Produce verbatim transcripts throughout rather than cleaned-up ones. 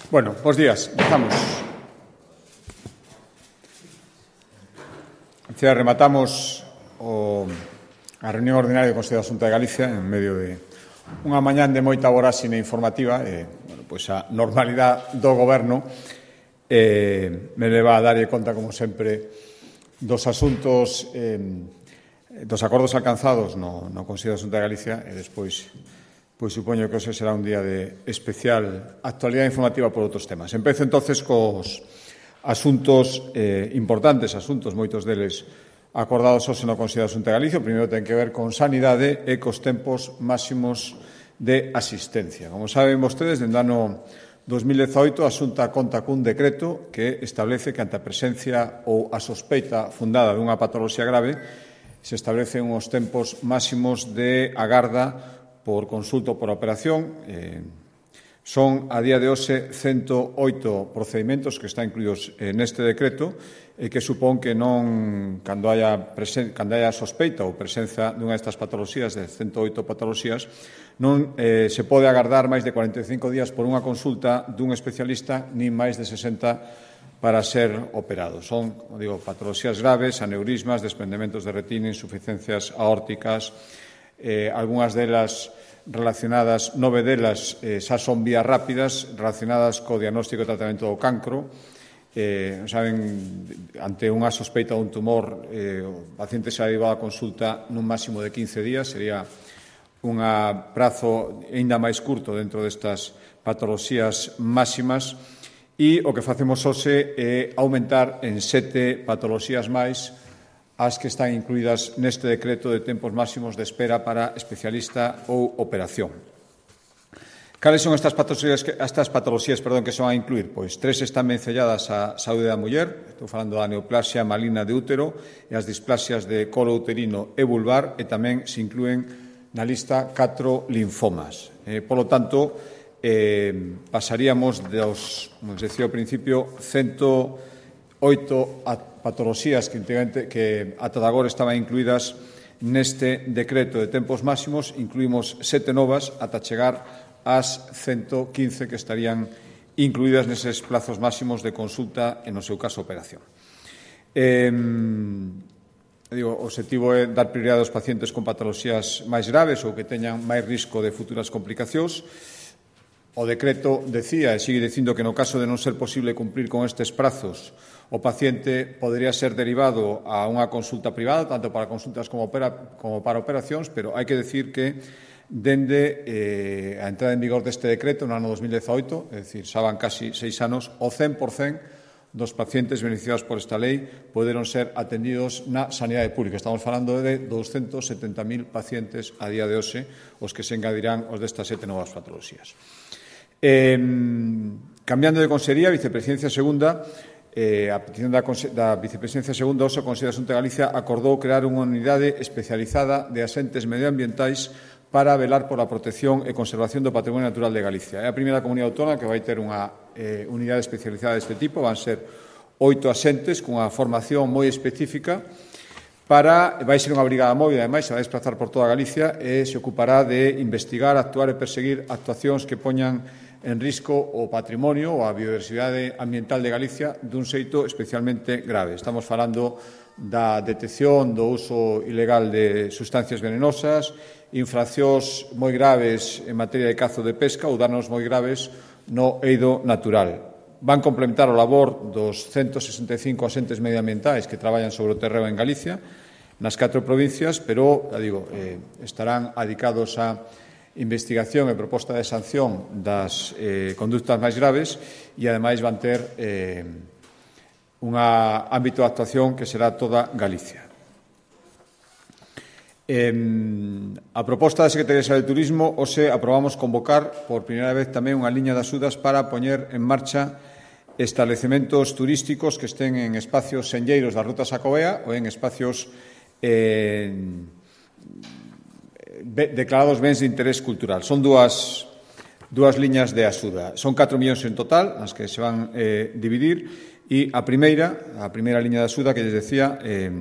Bueno, bos días. Empezamos. Antes rematamos o, a reunión ordinaria do Consello de Asunta de Galicia en medio de unha mañán de moita voráxine informativa. E, bueno, pois a normalidade do Goberno eh, me leva a darlle conta, como sempre, dos asuntos, eh, dos acordos alcanzados no, no Consello de Asunta de Galicia e despois pois supoño que hoxe será un día de especial actualidade informativa por outros temas. Empezo entonces cos asuntos eh, importantes, asuntos moitos deles acordados hoxe no Consello de Asunta de Galicia. O primeiro ten que ver con sanidade e cos tempos máximos de asistencia. Como saben vostedes, dende o ano dos mil dezaoito a Xunta conta cun decreto que establece que ante a presencia ou a sospeita fundada dunha patoloxía grave se establecen uns tempos máximos de agarda por consulta ou por operación. Eh, son, a día de hoxe, ciento oito procedimentos que están incluídos eh, neste decreto e que supón que non, cando haya, presen, cando haya sospeita ou presenza dunha destas patoloxías, de ciento oito patoloxías, non eh, se pode agardar máis de cuarenta e cinco días por unha consulta dun especialista, nin máis de sesenta para ser operado. Son, como digo, patoloxías graves, aneurismas, desprendementos de retina, insuficiencias aórticas, eh, algunhas delas relacionadas, nove delas eh, xa son vías rápidas relacionadas co diagnóstico e tratamento do cancro. Eh, saben, ante unha sospeita dun tumor, eh, o paciente xa derivado a consulta nun máximo de quince días, sería un prazo aínda máis curto dentro destas patoloxías máximas, e o que facemos hoxe é aumentar en sete patoloxías máis as que están incluídas neste decreto de tempos máximos de espera para especialista ou operación. Cales son estas patoloxías, que, estas patoloxías perdón, que son a incluir? Pois tres están vencelladas á saúde da muller, estou falando da neoplasia maligna de útero e as displasias de colo uterino e vulvar, e tamén se inclúen na lista catro linfomas. Eh, polo tanto, eh, pasaríamos dos, como decía ao principio, ciento oito patoloxías que, que ata de agora estaban incluídas neste decreto de tempos máximos. Incluímos sete novas ata chegar ás ciento quince que estarían incluídas neses plazos máximos de consulta e, no seu caso, operación. Eh, digo, o objetivo é dar prioridade aos pacientes con patoloxías máis graves ou que teñan máis risco de futuras complicacións. O decreto decía e sigue dicindo que no caso de non ser posible cumprir con estes prazos, o paciente podería ser derivado a unha consulta privada, tanto para consultas como, opera, como para operacións, pero hai que decir que dende eh, a entrada en vigor deste decreto no ano dos mil dezaoito, é dicir, xa van casi seis anos, o cen por cento dos pacientes beneficiados por esta lei poderon ser atendidos na sanidade pública. Estamos falando de doscientos setenta mil pacientes a día de hoxe, os que se engadirán os destas sete novas patoloxías. Eh, cambiando de consellería, Vicepresidencia Segunda, eh, a petición da, da Vicepresidencia Segunda, o Consello de Asunta de Galicia acordou crear unha unidade especializada de asentes medioambientais para velar pola protección e conservación do patrimonio natural de Galicia. É a primeira comunidade autónoma que vai ter unha eh, unidade especializada deste tipo. Van ser oito asentes cunha formación moi específica para, vai ser unha brigada móvil, ademais, se vai desplazar por toda Galicia e se ocupará de investigar, actuar e perseguir actuacións que poñan en risco o patrimonio ou a biodiversidade ambiental de Galicia dun xeito especialmente grave. Estamos falando da detección do uso ilegal de sustancias venenosas, infraccións moi graves en materia de cazo de pesca ou danos moi graves no eido natural. Van complementar o labor dos ciento sesenta e cinco asentes medioambientais que traballan sobre o terreo en Galicia, nas catro provincias, pero, digo, eh, estarán adicados a investigación e proposta de sanción das eh, conductas máis graves e, ademais, van ter eh, un ámbito de actuación que será toda Galicia. Eh, a proposta da Secretaría de Saúde e Turismo, hoxe aprobamos convocar por primeira vez tamén unha liña de axudas para poñer en marcha establecementos turísticos que estén en espacios senlleiros da Ruta Xacobea ou en espacios eh, declarados bens de interés cultural. Son dúas, dúas liñas de axuda. Son catro millóns en total, as que se van eh, dividir, e a primeira, a primeira liña de axuda que lles decía eh,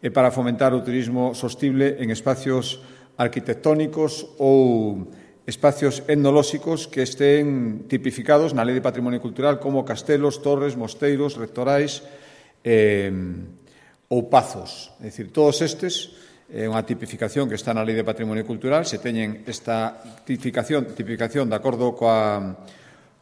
é para fomentar o turismo sostible en espacios arquitectónicos ou espacios etnolóxicos que estén tipificados na Lei de Patrimonio Cultural como castelos, torres, mosteiros, rectorais eh, ou pazos. É dicir, todos estes é unha tipificación que está na Lei de Patrimonio Cultural. Se teñen esta tipificación, tipificación de acordo coa,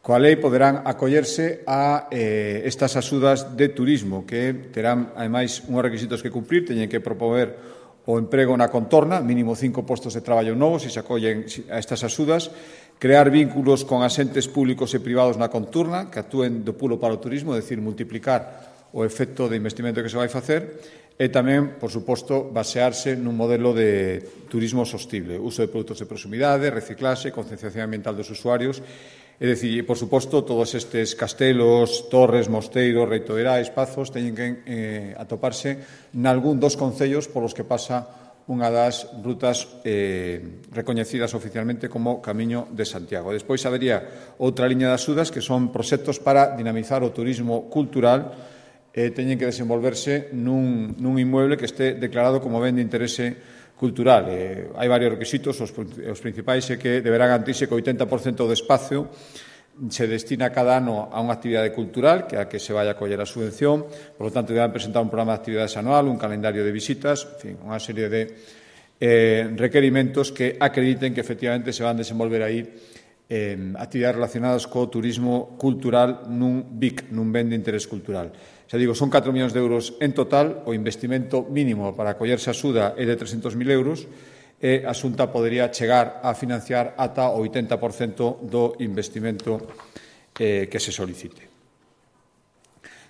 coa lei, poderán acollerse a eh, estas axudas de turismo que terán, ademais, unhos requisitos que cumprir. Teñen que propover o emprego na contorna, mínimo cinco postos de traballo novos se se acollen a estas axudas, crear vínculos con asentes públicos e privados na contorna que actúen do pulo para o turismo, é dicir, multiplicar o efecto de investimento que se vai facer, e tamén, por suposto, basearse nun modelo de turismo sostible, uso de produtos de proximidade, reciclaxe, concienciación ambiental dos usuarios. É dicir, por suposto, todos estes castelos, torres, mosteiros, reitorais, pazos, teñen que eh, atoparse nalgún dos concellos polos que pasa unha das rutas eh, recoñecidas oficialmente como Camiño de Santiago. Despois habería outra liña de axudas que son proxectos para dinamizar o turismo cultural. Eh, teñen que desenvolverse nun, nun inmueble que este declarado como ben de interese cultural. Eh, hai varios requisitos, os, os principais é que deberá garantirse que o oitenta por cento do espacio se destina cada ano a unha actividade cultural, que é a que se vai a coller a subvención. Por lo tanto, deberán presentar un programa de actividades anual, un calendario de visitas, en fin, unha serie de eh, requerimentos que acrediten que efectivamente se van a desenvolver aí eh, actividades relacionadas co turismo cultural nun B I C, nun ben de interés cultural. Xa digo, son catro millóns de euros en total, o investimento mínimo para acollerse a axuda é de trescentos mil euros e a Xunta podería chegar a financiar ata o oitenta por cento do investimento eh, que se solicite.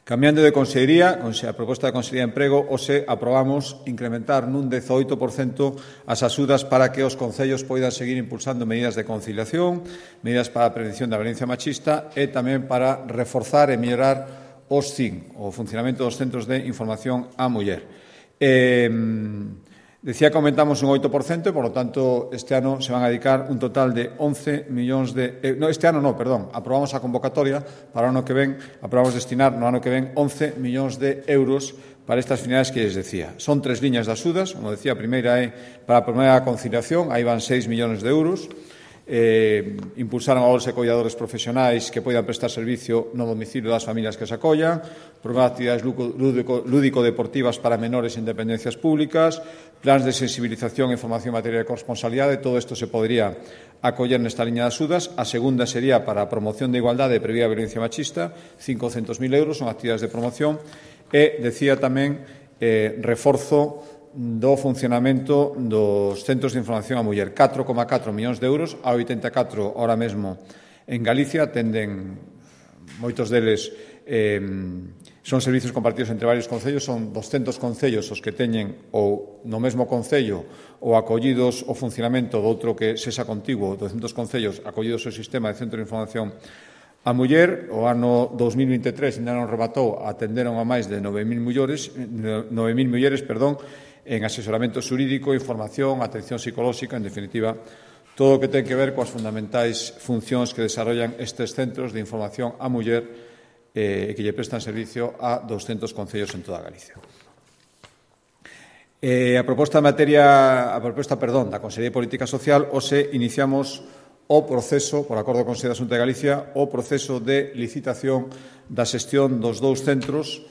Cambiando de consellería, a proposta da Consellería de Emprego, hoxe aprobamos incrementar nun dezoito por cento as axudas para que os concellos poidan seguir impulsando medidas de conciliación, medidas para a prevención da violencia machista e tamén para reforzar e mellorar os C I N, o funcionamento dos centros de información á muller. Eh, decía que aumentamos un oito por cento, por lo tanto, este ano se van a dedicar un total de once millóns de... Eh, no, este ano no, perdón, aprobamos a convocatoria para o ano que ven, aprobamos destinar no ano que ven once millóns de euros para estas finalidades que les decía. Son tres liñas de axudas, como decía, a primeira é para a primeira conciliación, aí van seis millóns de euros. Eh, impulsaron a bolsa de colladores profesionais que poidan prestar servicio no domicilio das familias que se acollan, programa de actividades lúdico-deportivas para menores en dependencias públicas, plans de sensibilización e formación en materia de corresponsalidade. Todo isto se podría acoller nesta liña de axudas. A segunda sería para a promoción de igualdade e previa a violencia machista, cincocentos mil euros, son actividades de promoción. E, decía tamén, eh, reforzo do funcionamento dos centros de información á muller. catro coma catro millóns de euros, a oitenta e catro ahora mesmo en Galicia, atenden moitos deles, eh, son servizos compartidos entre varios concellos, son doscentos concellos os que teñen ou no mesmo concello ou acollidos o funcionamento do outro que sexa contiguo, docentos concellos acollidos ao sistema de centro de información a muller. O ano dos mil vinte e tres ainda non rematou, atenderon a máis de nove mil mulleres, nove mil mulleres, perdón, en asesoramento xurídico, información, atención psicolóxica, en definitiva, todo o que ten que ver coas fundamentais funcións que desarrollan estes centros de información á muller e eh, que lle prestan servicio a doscentos concellos en toda Galicia. Eh, a proposta de materia, a proposta, perdón, da Consellería de Política Social, hoxe iniciamos o proceso, por acordo do Consello da Xunta de Galicia, o proceso de licitación da xestión dos dous centros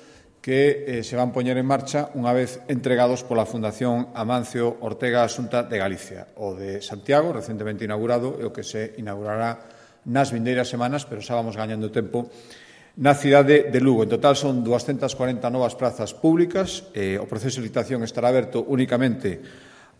que eh, se van poñer en marcha unha vez entregados pola Fundación Amancio Ortega Xunta de Galicia. O de Santiago, recentemente inaugurado, e o que se inaugurará nas vindeiras semanas, pero xa vamos gañando tempo, na cidade de Lugo. En total son doscientas cuarenta novas prazas públicas. Eh, o proceso de licitación estará aberto únicamente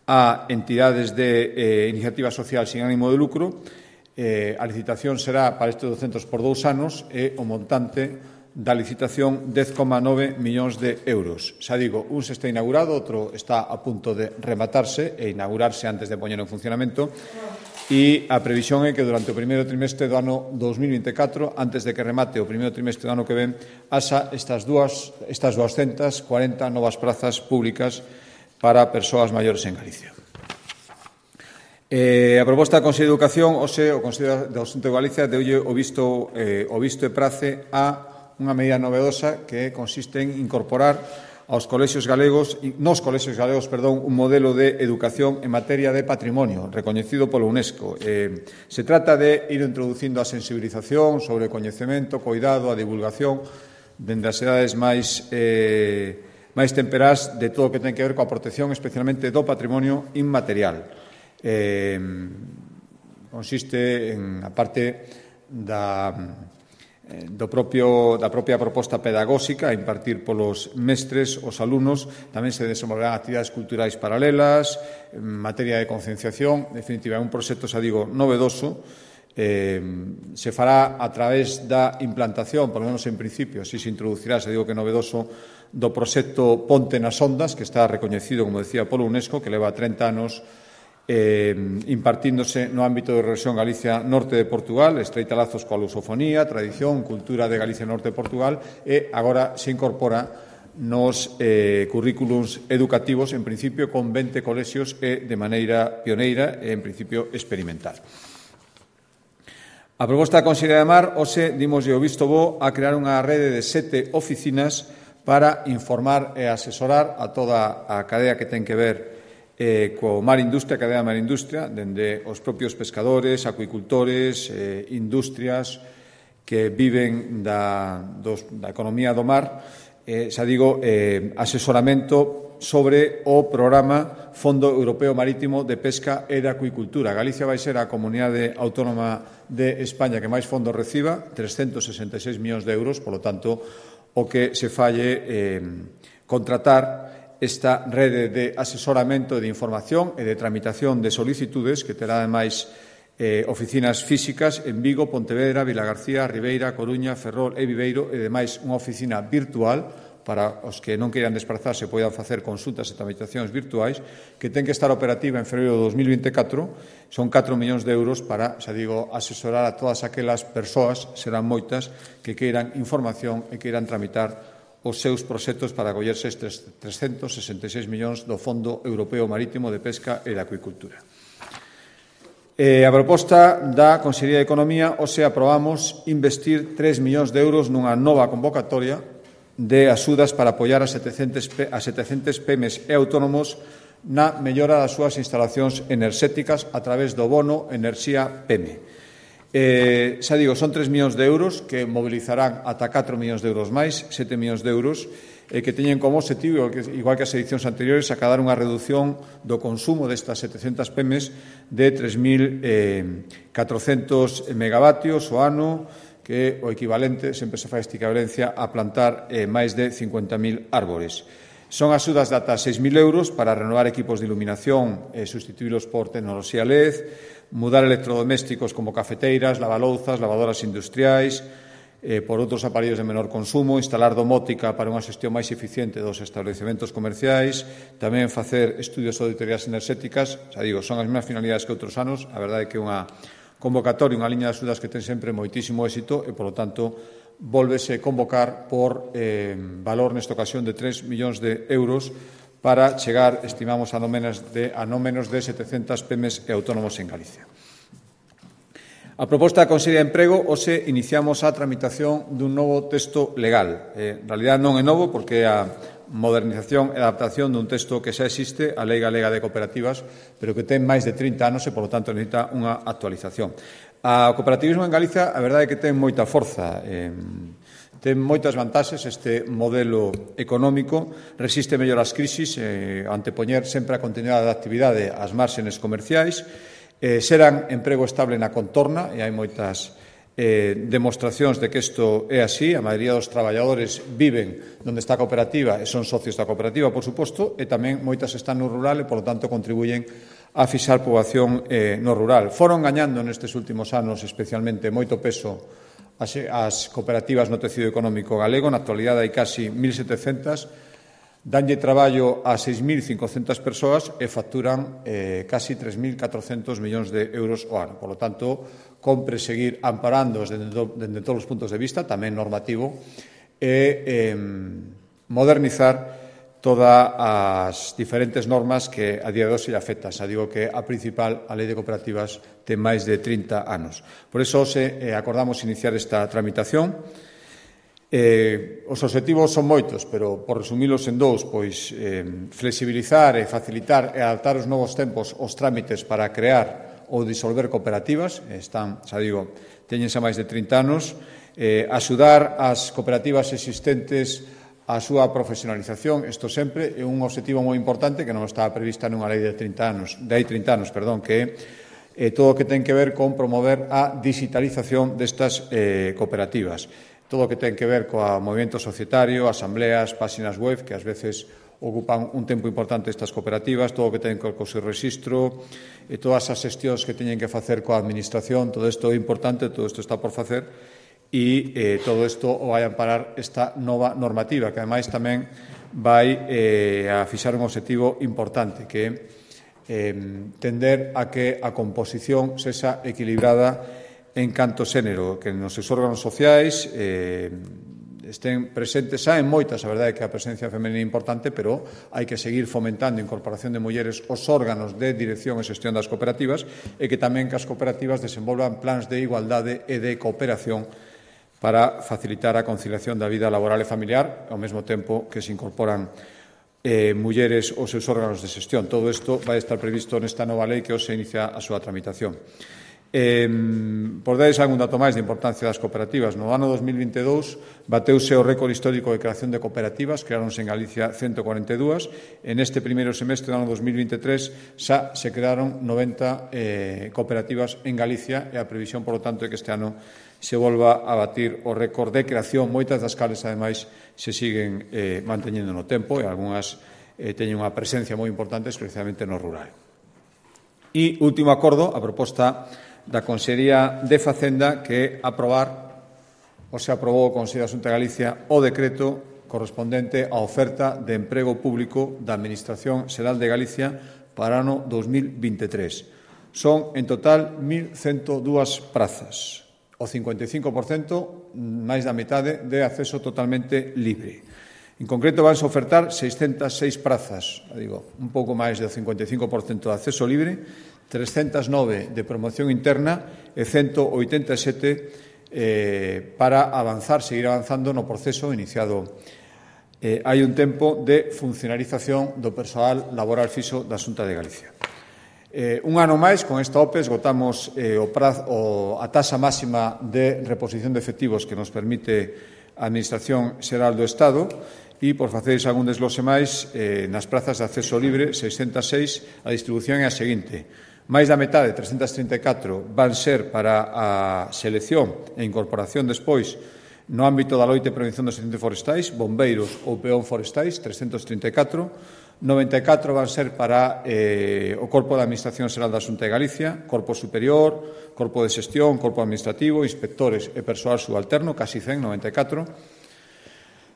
a entidades de eh, iniciativa social sin ánimo de lucro. Eh, a licitación será para estes douscentos por dous anos e o montante da licitación dez coma nove millóns de euros. Xa digo, un se está inaugurado, outro está a punto de rematarse e inaugurarse antes de poñer en funcionamento, e a previsión é que durante o primeiro trimestre do ano dos mil vinte e catro, antes de que remate o primeiro trimestre do ano que ven, haxa estas dúas, estas doscientas cuarenta novas prazas públicas para persoas maiores en Galicia. Eh, a proposta da Consello de Educación, hoxe, o Consello da Xunta de Galicia deulle o visto, eh, o visto e prace a unha medida novedosa que consiste en incorporar aos colexios galegos, nos colexios galegos, perdón, un modelo de educación en materia de patrimonio, recoñecido polo UNESCO. Eh, se trata de ir introducindo a sensibilización sobre o coñecemento, cuidado, a divulgación, dende as edades máis, eh, máis temperás de todo o que ten que ver coa protección, especialmente do patrimonio inmaterial. Eh, consiste en, a parte da... Do propio, da propia proposta pedagóxica a impartir polos mestres os alumnos, tamén se desenvolverán actividades culturais paralelas, en materia de concienciación, en definitiva, é un proxecto, xa digo, novedoso, eh, se fará a través da implantación, por lo menos en principio, si se introducirá, xa digo que novedoso, do proxecto Ponte nas Ondas, que está recoñecido, como decía, polo UNESCO, que leva trinta anos Eh, impartíndose no ámbito de Rexión Galicia Norte de Portugal, estreita lazos coa lusofonía, tradición, cultura de Galicia Norte de Portugal, e agora se incorpora nos eh, currículums educativos, en principio con vinte colexios e de maneira pioneira e, en principio, experimental. A proposta da Consellería de Mar, hoxe, dimoslle o visto bo a crear unha rede de sete oficinas para informar e asesorar a toda a cadea que ten que ver Eh, co mar industria, cadea mar industria, dende os propios pescadores, acuicultores, eh, industrias que viven da, dos, da economía do mar, eh, xa digo, eh, asesoramento sobre o programa Fondo Europeo Marítimo de Pesca e de Acuicultura. Galicia vai ser a comunidade autónoma de España que máis fondos reciba, trescentos sesenta e seis millóns de euros, polo tanto, o que se falle eh, contratar esta rede de asesoramento e de información e de tramitación de solicitudes que terá, ademais, eh, oficinas físicas en Vigo, Pontevedra, Vilagarcía, Ribeira, Coruña, Ferrol e Viveiro, e, ademais, unha oficina virtual para os que non queiran desplazarse poidan facer consultas e tramitacións virtuais, que ten que estar operativa en febreiro de dos mil vinte e catro. Son catro millóns de euros para, xa digo, asesorar a todas aquelas persoas, serán moitas, que queiran información e queiran tramitar os seus proxectos para acollerse estes trescentos sesenta e seis millóns do Fondo Europeo Marítimo de Pesca e de Acuicultura. Eh, a proposta da Consellería de Economía, hoxe aprobamos investir tres millóns de euros nunha nova convocatoria de axudas para apoiar a setecentos pemes e autónomos na mellora das súas instalacións enerxéticas a través do bono Enerxía Peme. Eh, xa digo, son tres millóns de euros que mobilizarán ata catro millóns de euros máis, sete millóns de euros, e eh, que teñen como objetivo, igual que as edicións anteriores, acadar unha reducción do consumo destas setecentas pemes de tres mil catrocentos megavatios o ano, que é o equivalente, sempre se fai esta equivalencia, a plantar eh, máis de cincuenta mil árbores. Son axudas de ata seis mil euros para renovar equipos de iluminación e sustituílos por tecnoloxía L E D, mudar electrodomésticos como cafeteiras, lavalouzas, lavadoras industriais, eh, por outros aparellos de menor consumo, instalar domótica para unha xestión máis eficiente dos establecementos comerciais, tamén facer estudios de auditorías enerxéticas, xa digo, son as mesmas finalidades que outros anos, a verdade é que é unha convocatoria, unha liña de axudas que ten sempre moitísimo éxito e, polo tanto, volvese convocar por eh, valor nesta ocasión de tres millóns de euros para chegar, estimamos, a non menos de, a non menos de setecentas pemes e autónomos en Galicia. A proposta da Consellería de Emprego, hoxe iniciamos a tramitación dun novo texto legal. Eh, en realidad non é novo porque é a modernización e adaptación dun texto que xa existe, a Lei Galega de Cooperativas, pero que ten máis de trinta anos e, polo tanto, necesita unha actualización. O cooperativismo en Galicia, a verdade é que ten moita forza. Eh, Ten moitas vantaxes este modelo económico, resiste mellor as crisis, eh, antepoñer sempre a continuidade da actividade ás márxenes comerciais, eh, serán emprego estable na contorna, e hai moitas eh, demostracións de que isto é así. A maioría dos traballadores viven onde está a cooperativa e son socios da cooperativa, por suposto, e tamén moitas están no rural e, por lo tanto, contribuyen a fixar poboación eh, no rural. Foron gañando nestes últimos anos especialmente moito peso As, as cooperativas no tecido económico galego. Na actualidade hai casi mil setecentas, danlle traballo a seis mil cincocentas persoas e facturan eh, casi tres mil catrocentos millóns de euros o ano. Por lo tanto, compre seguir amparando desde, desde todos os puntos de vista, tamén normativo, e eh, modernizar todas as diferentes normas que a día de hoxe lle afectan. Xa digo que a principal, a Lei de Cooperativas, ten máis de trinta anos. Por iso, hoxe, eh, acordamos iniciar esta tramitación. Eh, os obxectivos son moitos, pero por resumilos en dous, pois eh, flexibilizar e facilitar e adaptar os novos tempos os trámites para crear ou disolver cooperativas, están, xa digo, teñense máis de trinta anos, eh, axudar as cooperativas existentes a súa profesionalización, isto sempre é un obxectivo moi importante que non estaba prevista nunha lei de trinta anos, de hai trinta anos, perdón, que é eh, todo o que ten que ver con promover a digitalización destas eh, cooperativas. Todo o que ten que ver coa movimento societario, asambleas, páxinas web, que ás veces ocupan un tempo importante estas cooperativas, todo o que ten que ver co seu registro, e todas as xestións que teñen que facer coa administración, todo isto é importante, todo isto está por facer, e eh, todo isto o vai amparar esta nova normativa, que ademais tamén vai eh, a fixar un obxectivo importante, que é eh, tender a que a composición sexa equilibrada en canto xénero, que nos seus órganos sociais eh, estén presentes, xa en moitas, a verdade é que a presencia femenina é importante, pero hai que seguir fomentando a incorporación de mulleres aos órganos de dirección e xestión das cooperativas e que tamén que as cooperativas desenvolvan plans de igualdade e de cooperación para facilitar a conciliación da vida laboral e familiar, ao mesmo tempo que se incorporan eh, mulleres aos seus órganos de xestión. Todo isto vai estar previsto nesta nova lei que hoxe inicia a súa tramitación. Eh, por darles algún dato máis de importancia das cooperativas, no ano dos mil vinte e dous bateuse o récord histórico de creación de cooperativas, creáronse en Galicia ciento cuarenta e dúas, en este primeiro semestre do ano dos mil vinte e tres xa se crearon noventa eh, cooperativas en Galicia e a previsión, por lo tanto, é que este ano se volva a batir o récord de creación, moitas das cales, ademais, se siguen eh, manteñendo no tempo e algunhas eh, teñen unha presencia moi importante, especialmente no rural. E último acordo, a proposta da Consellería de Facenda, que aprobar, ou se aprobou o Consello da Xunta de Galicia, o decreto correspondente á oferta de emprego público da Administración Xeral de Galicia para o ano dos mil vinte e tres. Son, en total, mil ciento dúas prazas, o cincuenta e cinco por cento, máis da metade, de acceso totalmente libre. En concreto, vanse ofertar seiscentas seis prazas, digo, un pouco máis do cincuenta e cinco por cento de acceso libre, trescentas nove de promoción interna e ciento oitenta e sete eh, para avanzar, seguir avanzando no proceso iniciado. Eh, hai un tempo de funcionalización do persoal laboral fixo da Xunta de Galicia. Eh, un ano máis, con esta O P E, esgotamos eh, o prazo, o, a taxa máxima de reposición de efectivos que nos permite a Administración Xeral do Estado e, por faceres algún desglose máis, eh, nas prazas de acceso libre, seiscentas seis, a distribución é a seguinte. Máis da metade, trescentas trinta e catro, van ser para a selección e incorporación despois no ámbito da loita e prevención dos incendios forestais, bombeiros ou peón forestais, trescentas trinta e catro, noventa e catro van ser para eh, o Corpo da Administración Xeral da Xunta de Galicia, Corpo Superior, Corpo de Xestión, Corpo Administrativo, inspectores e persoal subalterno, casi cen, noventa e catro,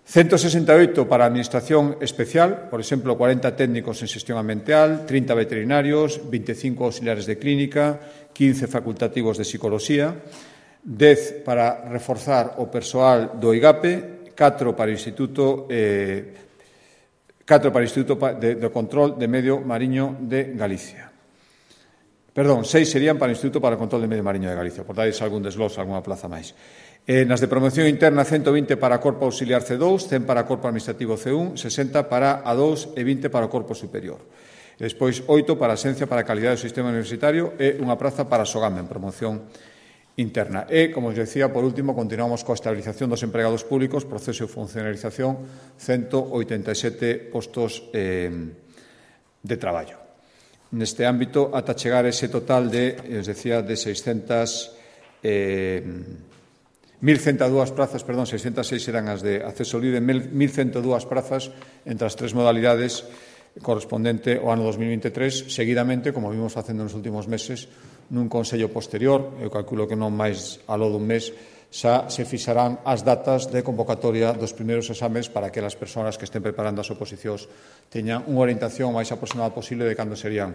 ciento sesenta e oito para a Administración Especial, por exemplo, cuarenta técnicos en xestión ambiental, trinta veterinarios, vinte e cinco auxiliares de clínica, quince facultativos de psicoloxía, dez para reforzar o persoal do I G A P E, catro para o Instituto eh, catro para o Instituto de, de Control de Medio Mariño de Galicia. Perdón, seis serían para o Instituto para o Control de Medio Mariño de Galicia, por dais algún desglose, algunha plaza máis. Eh, nas de promoción interna, ciento vinte para Corpo Auxiliar C dous, cen para Corpo Administrativo C un, sesenta para A dous e vinte para o Corpo Superior. E despois, oito para a Xencia para a Calidade do Sistema Universitario e unha praza para Sogame en promoción interna. E, como os decía, por último, continuamos coa estabilización dos empregados públicos, proceso de funcionalización, ciento oitenta e sete postos eh, de traballo. Neste ámbito, ata chegar ese total de, os decía, de seiscentas... Eh, mil ciento dúas prazas, perdón, seiscentas seis eran as de acceso libre, mil ciento dúas prazas entre as tres modalidades correspondente ao ano dos mil vinte e tres, seguidamente, como vimos facendo nos últimos meses, nun consello posterior, eu calculo que non máis aló dun mes, xa se fixarán as datas de convocatoria dos primeiros exames para que as persoas que estén preparando as oposicións teñan unha orientación máis aproximada posible de cando serían,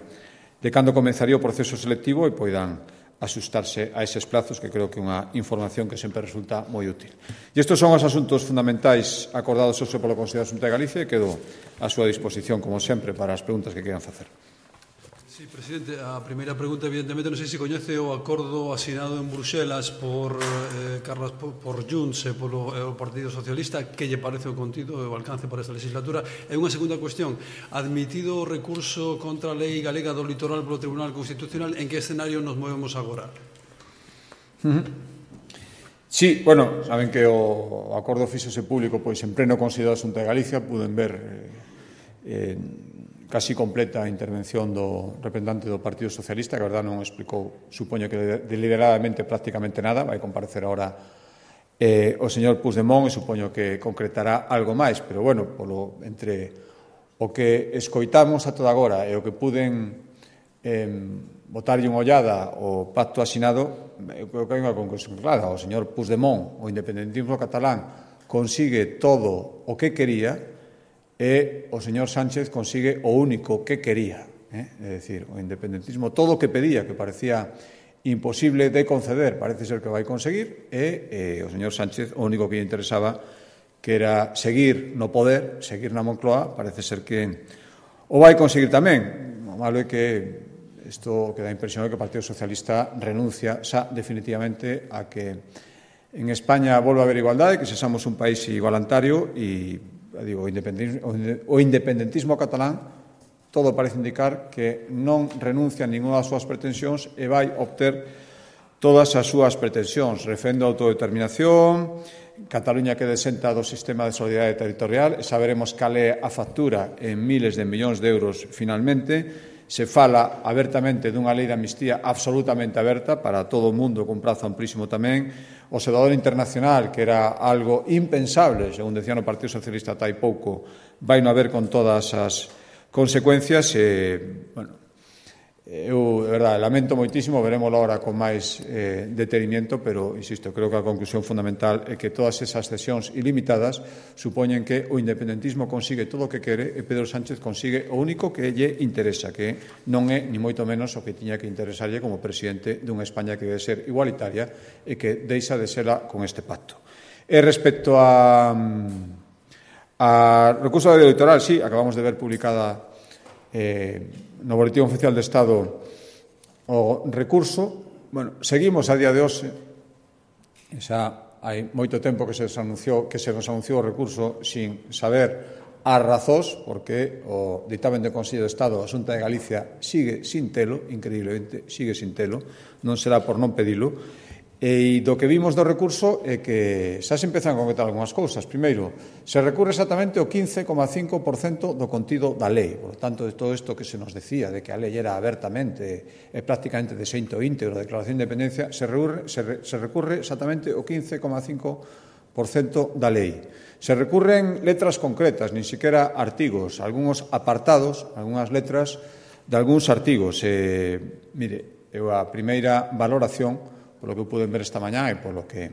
de cando comenzaría o proceso selectivo e poidan asustarse a eses plazos, que creo que é unha información que sempre resulta moi útil. E estes son os asuntos fundamentais acordados hoxe polo Consello da Xunta de Galicia e quedo a súa disposición, como sempre, para as preguntas que queiran facer. Sí, presidente, a primeira pregunta, evidentemente, non sei se coñece o acordo asinado en Bruxelas por eh, Carlos, por Junts e polo eh, o Partido Socialista. Que lle parece o contido e o alcance para esta legislatura? E unha segunda cuestión, admitido o recurso contra a lei galega do litoral polo Tribunal Constitucional, en que escenario nos movemos agora? Uh-huh. Sí, bueno, saben que o acordo fíxose público pois en pleno Consello da Xunta de Galicia. Puden ver eh, casi completa a intervención do representante do Partido Socialista, que a verdade non explicou, supoño que deliberadamente prácticamente nada. Vai comparecer ahora eh, o señor Puigdemont e supoño que concretará algo máis, pero bueno, polo, entre o que escoitamos a toda agora e o que puden eh, botarlle unha ollada ao pacto asinado, eu creo que hai unha conclusión clara. O señor Puigdemont, o independentismo catalán, consigue todo o que quería, e o señor Sánchez consigue o único que quería, eh? É dicir, o independentismo, todo o que pedía, que parecía imposible de conceder, parece ser que vai conseguir, e eh, o señor Sánchez o único que lle interesaba, que era seguir no poder, seguir na Moncloa, parece ser que o vai conseguir tamén. O malo é que isto que dá a impresión é que o Partido Socialista renuncia xa definitivamente a que en España volva a haber igualdade, que sexamos un país igualitario e digo, o independentismo, o independentismo catalán todo parece indicar que non renuncia a ninguna das súas pretensións e vai obter todas as súas pretensións. Refendo a autodeterminación, Cataluña que desenta do sistema de solidaridade territorial, e saberemos cal é a factura en miles de millóns de euros finalmente. Se fala abertamente dunha lei de amnistía absolutamente aberta para todo o mundo, con prazo amplísimo tamén. O observador internacional, que era algo impensable, según decía no Partido Socialista ata hai pouco, vai non haber con todas as consecuencias. E, bueno, eu, de verdade, lamento moitísimo, veremos agora con máis eh, detenimiento, pero, insisto, creo que a conclusión fundamental é que todas esas cesións ilimitadas supoñen que o independentismo consigue todo o que quere e Pedro Sánchez consigue o único que lle interesa, que non é, ni moito menos, o que tiña que interesarlle como presidente dunha España que debe ser igualitaria e que deixa de serla con este pacto. E respecto a, a recurso da lei electoral, sí, acabamos de ver publicada eh, no Boletín Oficial de Estado o recurso. Bueno, seguimos a día de hoxe, xa hai moito tempo que se nos anunciou, que se nos anunciou o recurso sin saber as razóns, porque o ditamen de Consello de Estado, a Xunta de Galicia, sigue sin telo, increíblemente, sigue sin telo, non será por non pedilo. E do que vimos do recurso é que xa se empezan a concretar algunhas cousas. Primeiro, se recurre exactamente o quince coma cinco por cento do contido da lei. Por lo tanto, de todo isto que se nos decía, de que a lei era abertamente e prácticamente de xeito íntegro, a declaración de independencia, se recurre, se, re, se recurre exactamente o quince coma cinco por cento da lei. Se recurren letras concretas, nin siquiera artigos, algúns apartados, algunhas letras de algúns artigos. E, mire, eu a primeira valoración, polo que puden ver esta mañá e polo que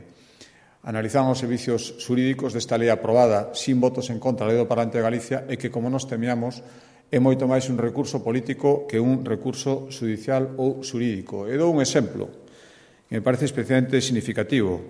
analizaban os servicios xurídicos desta lei aprobada sin votos en contra da lei do Parlamento de Galicia, é que, como nos temíamos, é moito máis un recurso político que un recurso judicial ou xurídico. E dou un exemplo que me parece especialmente significativo.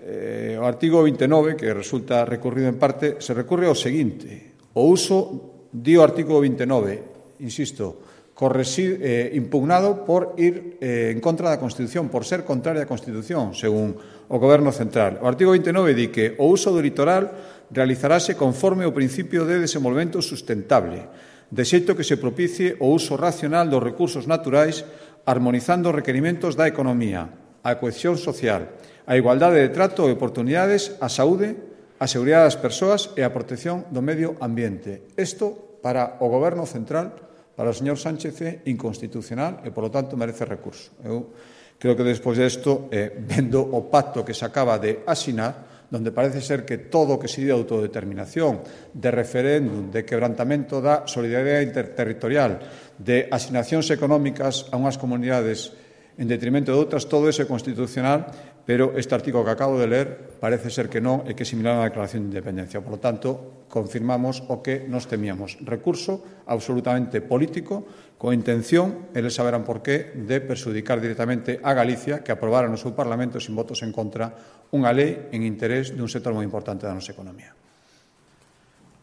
Eh, o artigo vinte e nove, que resulta recurrido en parte, se recurre ao seguinte: o uso, di o artigo vinte e nove, insisto, Corresi, eh, impugnado por ir eh, en contra da Constitución, por ser contraria á Constitución, según o Goberno Central. O artigo vinte e nove di que o uso do litoral realizarase conforme o principio de desenvolvemento sustentable, de xeito que se propicie o uso racional dos recursos naturais, armonizando os requerimentos da economía, a cohesión social, a igualdade de trato e oportunidades, a saúde, a seguridade das persoas e a protección do medio ambiente. Isto, para o Goberno Central, para o señor Sánchez, é inconstitucional e, polo tanto, merece recurso. Eu creo que, despois desto, eh, vendo o pacto que se acaba de asinar, donde parece ser que todo o que se di de autodeterminación, de referéndum, de quebrantamento da solidaridade interterritorial, de asignacións económicas a unhas comunidades en detrimento de outras, todo eso é constitucional, pero este artigo que acabo de ler parece ser que non e que é similar a unha declaración de independencia. Por lo tanto, confirmamos o que nos temíamos. Recurso absolutamente político, con intención, eles saberán por qué, de perxudicar directamente a Galicia, que aprobara no seu Parlamento sin votos en contra unha lei en interés dun sector moi importante da nosa economía.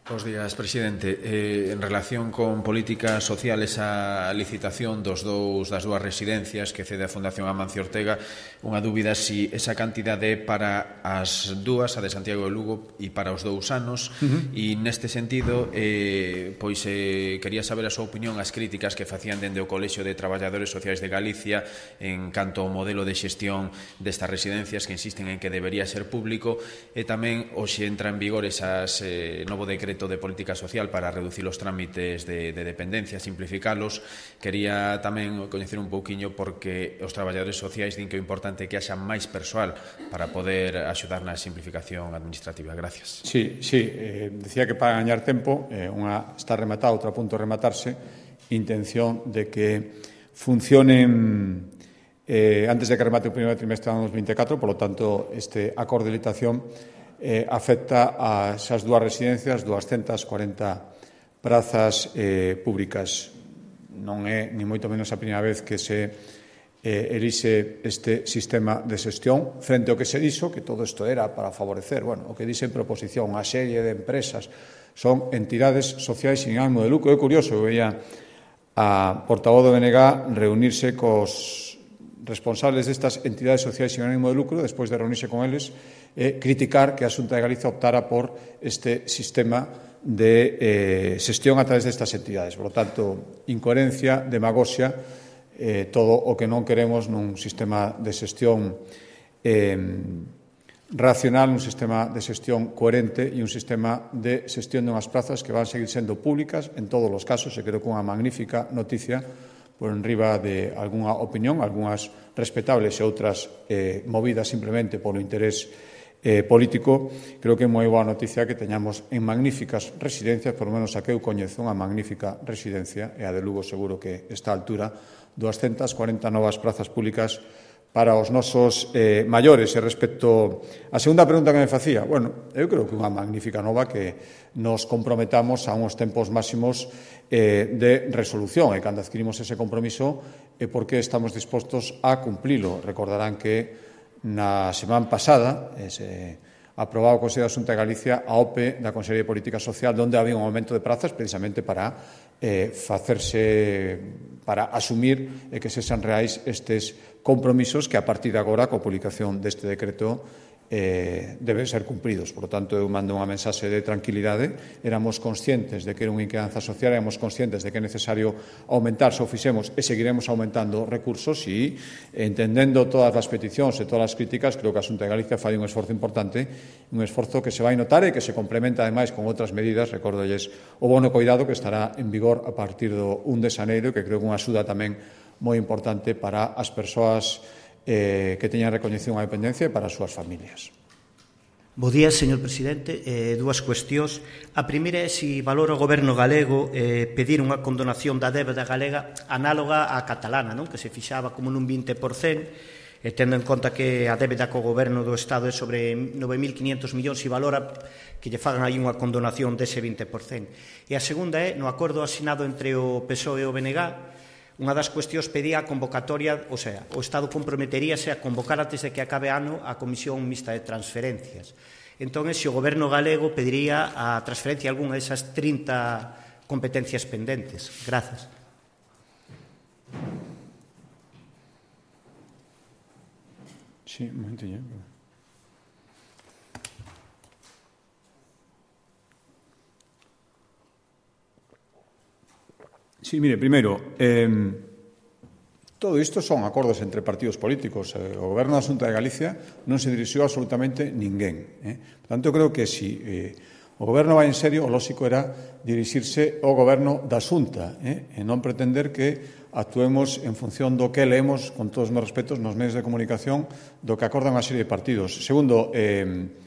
Bos días, presidente. Eh, en relación con políticas sociales, a licitación dos dous, das dúas residencias que cede a Fundación Amancio Ortega, unha dúbida si esa cantidade para as dúas, a de Santiago de Lugo, e para os dous anos, uh-huh. e neste sentido, eh, pois eh, quería saber a súa opinión as críticas que facían dende o Colexio de Traballadores Sociais de Galicia en canto ao modelo de xestión destas residencias que insisten en que debería ser público, e tamén hoxe entra en vigor esas eh, novo decreto de política social para reducir os trámites de, de dependencia, simplificalos. Quería tamén coñecer un pouquiño porque os traballadores sociais din que é importante que haxa máis persoal para poder axudar na simplificación administrativa. Gracias. Sí, sí, eh, decía que para gañar tempo, eh, unha está rematada, outra a punto de rematarse, intención de que funcionen eh, antes de que remate o primeiro trimestre do ano dos mil veinticuatro, por lo tanto, este acordo de licitación Eh, afecta a esas dúas residencias, doscientas cuarenta prazas eh, públicas. Non é, ni moito menos, a primeira vez que se eh, elixe este sistema de xestión frente ao que se dixo, que todo isto era para favorecer, bueno, o que dixe en proposición, a serie de empresas son entidades sociais sin ánimo de lucro. É curioso, eu veía a portavoz do B N G reunirse cos responsables destas entidades sociais sin ánimo de lucro, despois de reunirse con eles, eh, criticar que a Xunta de Galicia optara por este sistema de eh, xestión a través destas entidades. Por lo tanto, incoherencia, demagoxia, eh, todo o que non queremos nun sistema de xestión eh, racional, un sistema de xestión coherente e un sistema de xestión dunhas plazas que van a seguir sendo públicas en todos os casos, e creo que unha magnífica noticia por enriba de algunha opinión, algunhas respetables e outras eh, movidas simplemente polo interés eh, político. Creo que é moi boa noticia que teñamos en magníficas residencias, por lo menos a que eu coñezo, unha magnífica residencia, e a de Lugo seguro que está a altura, doscientas cuarenta novas plazas públicas para os nosos eh, maiores. E respecto á segunda pregunta que me facía, bueno, eu creo que unha magnífica nova que nos comprometamos a uns tempos máximos eh, de resolución, e cando adquirimos ese compromiso é porque estamos dispostos a cumplilo. Recordarán que na semana pasada eh, se aprobaba o Consello da Xunta de Galicia a O P E da Consellería de Política Social, onde había un aumento de prazas precisamente para eh, facerse, para asumir e que sexan reais estes compromisos que a partir de agora, coa publicación deste decreto, eh, deben ser cumpridos. Por lo tanto, eu mando unha mensaxe de tranquilidade. Éramos conscientes de que era unha inquedanza social, éramos conscientes de que é necesario aumentar, se o fixemos, e seguiremos aumentando recursos, e entendendo todas as peticións e todas as críticas, creo que a Xunta de Galicia fai un esforzo importante, un esforzo que se vai notar e que se complementa, ademais, con outras medidas. Recórdolles o bono coidado que estará en vigor a partir do un de xaneiro, que creo que é unha axuda tamén moi importante para as persoas eh, que teñan recoñecido a dependencia e para as súas familias. Bo día, señor presidente. Eh, dúas cuestións. A primeira é se valora o goberno galego eh, pedir unha condonación da débeda galega análoga á catalana, non? Que se fixaba como nun vinte por cento, e tendo en conta que a débeda co goberno do Estado é sobre nove mil quinientos millóns, e valora que lle fagan aí unha condonación dese vinte por cento. E a segunda é, no acordo asinado entre o P S O E e o B N G, unha das cuestións pedía a convocatoria, o sea, o Estado comprometeríase a convocar antes de que acabe ano a Comisión Mixta de Transferencias. Entón, se o goberno galego pediría a transferencia algunha desas trinta competencias pendentes. Grazas. Sí, un momentillo. Sí, mire, primeiro, eh, todo isto son acordos entre partidos políticos. Eh, o Goberno da Xunta de Galicia non se dirixiu absolutamente ninguén. Eh. Por tanto, creo que si eh, o Goberno vai en serio, o lóxico era dirixirse ao Goberno da Xunta, eh, e non pretender que actuemos en función do que leemos, con todos os meus respetos, nos medios de comunicación, do que acordan unha serie de partidos. Segundo, eh,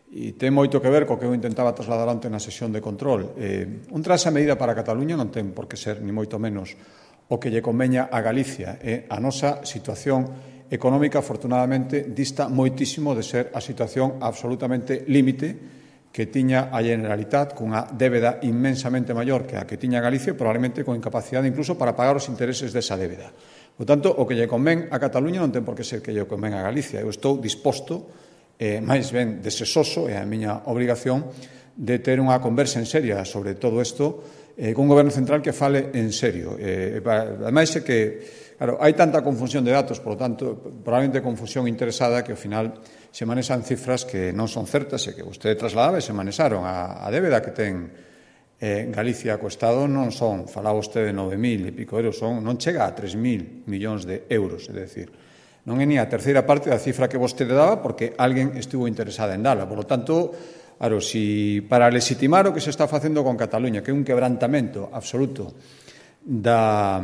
e ten moito que ver co que eu intentaba trasladar onte na sesión de control. Eh, un traxe a medida para Cataluña non ten por que ser, ni moito menos, o que lle conveña a Galicia. Eh, a nosa situación económica, afortunadamente, dista moitísimo de ser a situación absolutamente límite que tiña a Generalitat, cunha débeda inmensamente maior que a que tiña Galicia, probablemente con incapacidade incluso para pagar os intereses desa débeda. Por tanto, o que lle convén a Cataluña non ten por que ser que lle convén a Galicia. Eu estou disposto, eh, máis ben desesoso, é a miña obrigación, de ter unha conversa en seria sobre todo isto, eh, con un goberno central que fale en serio. Eh, ademais é que, claro, hai tanta confusión de datos, por lo tanto, probablemente confusión interesada, que ao final se manexan cifras que non son certas e que vostede trasladaba e se manexaron. A, a débeda que ten eh, Galicia co Estado non son, falaba vostede de nove mil e pico euros, son, non chega a tres mil millóns de euros, é dicir, non é ni a terceira parte da cifra que vostede daba porque alguén estuvo interesada en dala. Por lo tanto, claro, si para legitimar o que se está facendo con Cataluña, que é un quebrantamento absoluto da,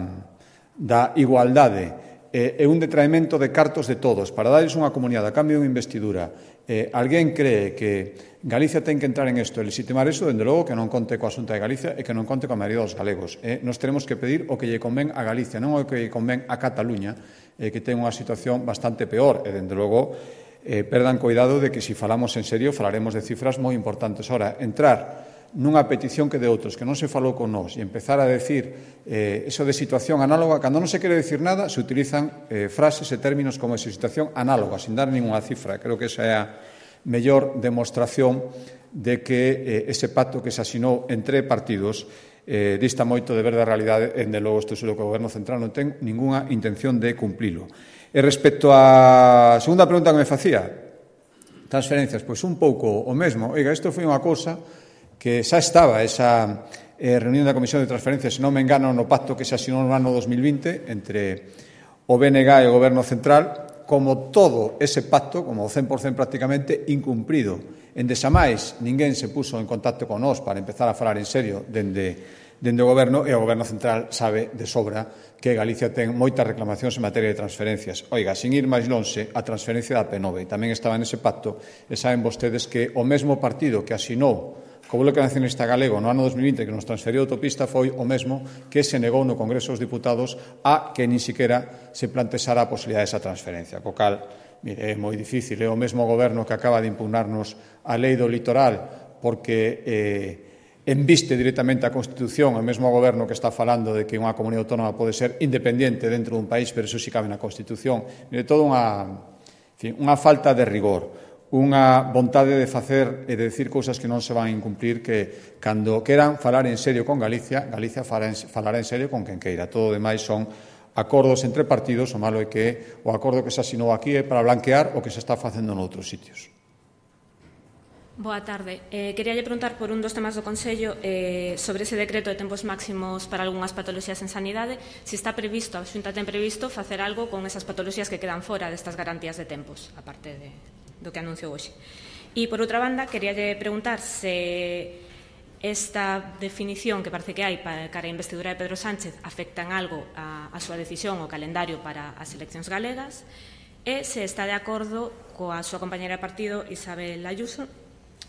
da igualdade, eh, é un detraemento de cartos de todos, para darles unha comunidade a cambio de unha investidura, eh, alguén cree que Galicia ten que entrar en isto e legitimar iso, dende logo que non conte coa Xunta de Galicia e que non conte coa maioría dos galegos. Eh, nos teremos que pedir o que lle convén a Galicia, non o que lle convén a Cataluña, eh, que ten unha situación bastante peor e, dende logo, Eh, perdan cuidado de que, se si falamos en serio, falaremos de cifras moi importantes. Ora, entrar nunha petición que de outros que non se falou con nós e empezar a decir eh, eso de situación análoga, cando non se quere decir nada, se utilizan eh, frases e términos como esa situación análoga, sin dar ninguna cifra. Creo que esa é a mellor demostración de que eh, ese pacto que se asinou entre partidos eh, dista moito de ver da realidade, e, de logo, isto seguro que o Goberno Central non ten ninguna intención de cumplilo. E respecto á segunda pregunta que me facía, transferencias, pois un pouco o mesmo. Oiga, isto foi unha cousa que xa estaba esa eh, reunión da Comisión de Transferencias, se non me engano, no pacto que se asinou no ano dos mil vinte entre o B N G e o Goberno Central, como todo ese pacto, como o cen por cento prácticamente, incumprido. En desamais, ninguén se puso en contacto con nós para empezar a falar en serio dende dende o Goberno, e o Goberno Central sabe de sobra que Galicia ten moitas reclamacións en materia de transferencias. Oiga, sin ir máis lonxe, a transferencia da P nove tamén estaba nese pacto, e saben vostedes que o mesmo partido que asinou co Bloque Nacionalista Galego no ano dos mil vinte que nos transferiu a autopista foi o mesmo que se negou no Congreso dos Diputados a que nin siquiera se plantexara a posibilidade desa transferencia. Co cal, mire, é moi difícil, é o mesmo Goberno que acaba de impugnarnos a lei do litoral porque eh, enviste directamente a Constitución, o mesmo goberno que está falando de que unha comunidade autónoma pode ser independente dentro dun país, pero iso si cabe na Constitución. Mire, toda unha, en fin, unha falta de rigor, unha vontade de facer e de decir cousas que non se van a incumplir, que cando queran falar en serio con Galicia, Galicia falará en serio con quen queira. Todo o demais son acordos entre partidos, o malo é que o acordo que se asinou aquí é para blanquear o que se está facendo noutros sitios. Boa tarde. Eh, quería lle preguntar por un dos temas do Consello eh, sobre ese decreto de tempos máximos para algunhas patoloxías en sanidade, se está previsto, a Xunta ten previsto facer algo con esas patoloxías que quedan fora destas garantías de tempos, aparte de, do que anunciou hoxe. E, por outra banda, quería lle preguntar se esta definición que parece que hai para cara a investidura de Pedro Sánchez afecta en algo a, a súa decisión o calendario para as eleccións galegas, e se está de acordo coa súa compañera de partido, Isabel Ayuso,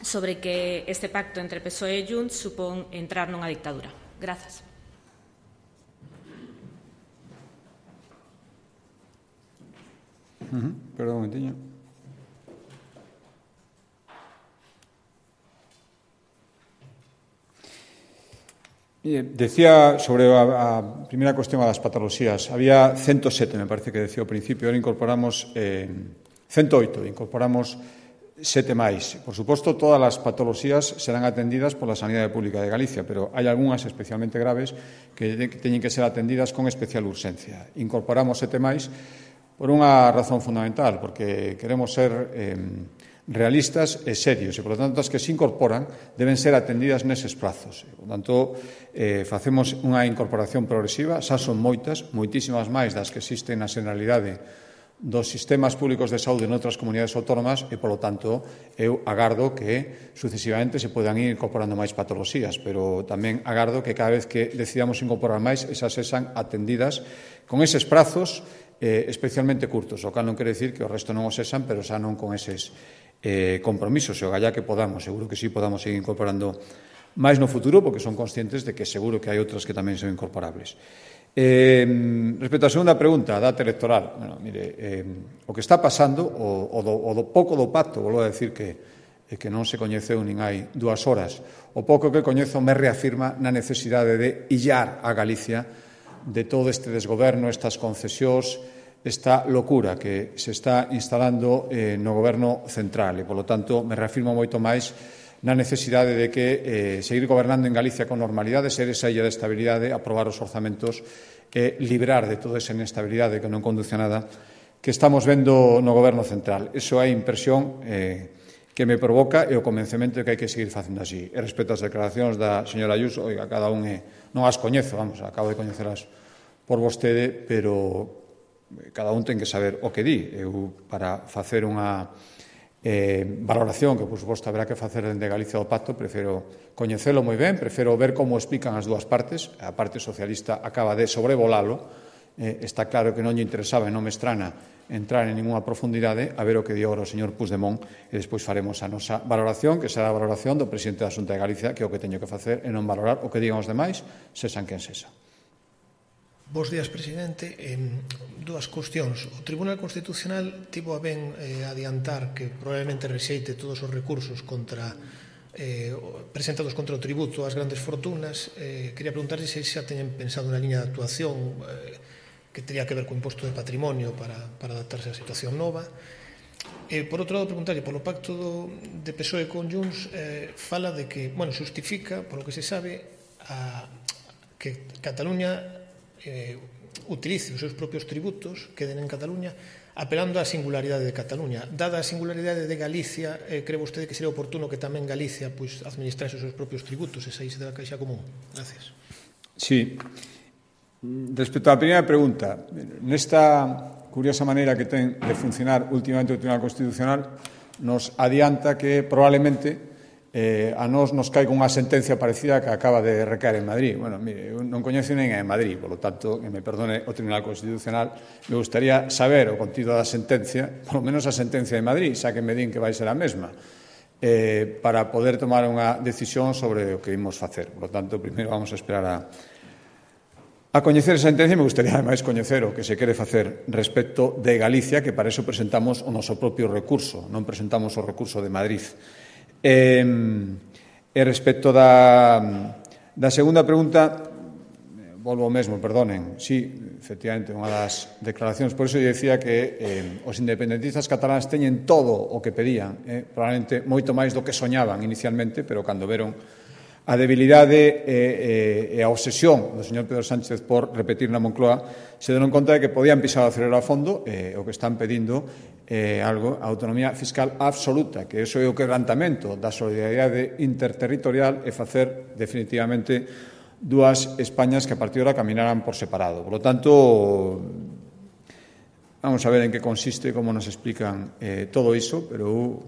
sobre que este pacto entre P S O E e Junts supón entrar nunha dictadura. Grazas. Uh-huh. Perdón un momentiño. Decía sobre a, a primeira cuestión das patoloxías. Había ciento sete, me parece que decía ao principio. Ahora incorporamos eh, ciento oito. Incorporamos sete máis. Por suposto, todas as patoloxías serán atendidas pola Sanidade Pública de Galicia, pero hai algunhas especialmente graves que teñen que ser atendidas con especial urxencia. Incorporamos sete máis por unha razón fundamental, porque queremos ser eh, realistas e serios, e, por lo tanto, as que se incorporan deben ser atendidas neses prazos. Por tanto, eh, facemos unha incorporación progresiva, xa son moitas, moitísimas máis das que existen na generalidade dos sistemas públicos de saúde noutras comunidades autónomas e, polo tanto, eu agardo que sucesivamente se podan ir incorporando máis patoloxías, pero tamén agardo que cada vez que decidamos incorporar máis, esas sexan atendidas con eses prazos eh, especialmente curtos, o cal non quere dicir que o resto non o sexan, pero xa non con eses eh, compromisos, e o gallá que podamos, seguro que sí podamos seguir incorporando máis no futuro, porque son conscientes de que seguro que hai outras que tamén son incorporables. Eh, respecto á segunda pregunta, a data electoral, bueno, mire, eh, o que está pasando, o, o, do, o do pouco do pacto, volvo a decir que, eh, que non se coñeceu nin hai dúas horas, o pouco que coñezo me reafirma na necesidade de illar a Galicia de todo este desgoberno, estas concesións, esta locura que se está instalando eh, no goberno central, e, polo tanto, me reafirmo moito máis na necesidade de que eh, seguir gobernando en Galicia con normalidade, ser esa illa de estabilidade, aprobar os orzamentos e librar de toda esa inestabilidade que non conduce a nada que estamos vendo no goberno central. Iso é a impresión eh, que me provoca e o convencemento de que hai que seguir facendo así. E respecto ás declaracións da señora Ayuso, oiga, cada un é, non as coñezo, vamos, acabo de coñecelas por vostede, pero cada un ten que saber o que di. Eu, para facer unha eh, valoración que, por suposto, haberá que facer dende Galicia do Pacto, prefiro coñecelo moi ben, prefiro ver como explican as dúas partes. A parte socialista acaba de sobrevolalo. Eh, está claro que non lle interesaba e non me estrana entrar en ninguna profundidade, a ver o que di agora o señor Puigdemont, e despois faremos a nosa valoración, que será a valoración do presidente da Xunta de Galicia, que é o que teño que facer, e non valorar o que digan os demais, sesan quen sesa. Bos días, presidente. Eh, dúas cuestións. O Tribunal Constitucional tivo a ben eh, adiantar que probablemente rexeite todos os recursos contra eh, presentados contra o tributo ás grandes fortunas. Eh, quería preguntarse se xa teñen pensado na liña de actuación eh, que teria que ver co imposto de patrimonio para, para adaptarse á situación nova. E, por outro lado, preguntarlle polo pacto do, de P S O E con Junts, eh, fala de que, bueno, justifica, polo que se sabe, a, que Cataluña eh, utilice os seus propios tributos, queden en Cataluña, apelando á singularidade de Cataluña. Dada a singularidade de Galicia, eh, cree vostede que sería oportuno que tamén Galicia pois, administrase os seus propios tributos e saíse da caixa común? Gracias. Sí. Respecto á primeira pregunta, nesta curiosa maneira que ten de funcionar últimamente o Tribunal Constitucional, nos adianta que probablemente eh, a nós nos caiga unha sentencia parecida que acaba de recaer en Madrid. Bueno, mire, eu non coñezo nin en Madrid, por lo tanto, que me perdone o Tribunal Constitucional, me gustaría saber o contido da sentencia, por lo menos a sentencia de Madrid, xa que me din que vai ser a mesma, eh, para poder tomar unha decisión sobre o que imos facer. Por lo tanto, primeiro vamos a esperar a A coñecer esa sentencia, me gustaría, ademais, coñecer o que se quere facer respecto de Galicia, que para eso presentamos o noso propio recurso, non presentamos o recurso de Madrid. E, e respecto da, da segunda pregunta, volvo ao mesmo, perdonen, sí, efectivamente, unha das declaracións, por iso eu dicía que eh, os independentistas cataláns teñen todo o que pedían, eh, probablemente moito máis do que soñaban inicialmente, pero cando veron a debilidade e, e, e a obsesión do señor Pedro Sánchez por repetir na Moncloa, se deron conta de que podían pisar o acelero a fondo, e o que están pedindo é algo, a autonomía fiscal absoluta, que iso é o quebrantamento da solidaridade interterritorial e facer definitivamente dúas Españas que a partir de ahora caminaran por separado. Por lo tanto, vamos a ver en que consiste, como nos explican eh, todo iso, pero eu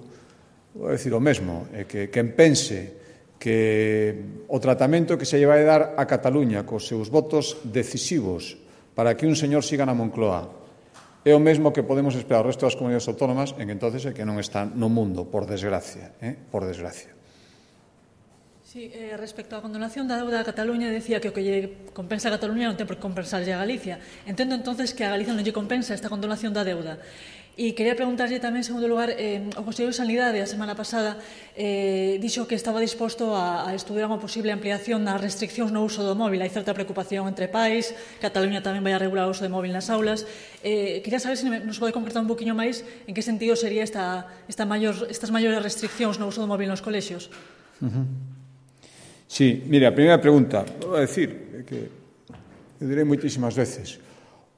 vou decir o mesmo, é que quen pense que o tratamento que se lle vai dar a Cataluña cos seus votos decisivos para que un señor siga na Moncloa é o mesmo que podemos esperar ao resto das comunidades autónomas, en que entonces é que non está no mundo, por desgracia, eh? por desgracia. Sí, eh, respecto á condonación da deuda a Cataluña, decía que o que lle compensa a Cataluña non ten por que compensarlle a Galicia. Entendo entonces que a Galicia non lle compensa esta condonación da deuda. E quería preguntarlle tamén, en segundo lugar, eh, o Consello de Sanidade a semana pasada eh, dixo que estaba disposto a, a estudiar unha posible ampliación das restriccións no uso do móvil. Hai certa preocupación entre pais, Cataluña tamén vai a regular o uso de móvil nas aulas. Eh, quería saber se nos pode concretar un poquinho máis en que sentido sería esta, esta mayor, estas maiores restriccións no uso do móvil nos colexios. Uh-huh. Sí, mire, a primeira pregunta, vou a decir, que eu direi moitísimas veces,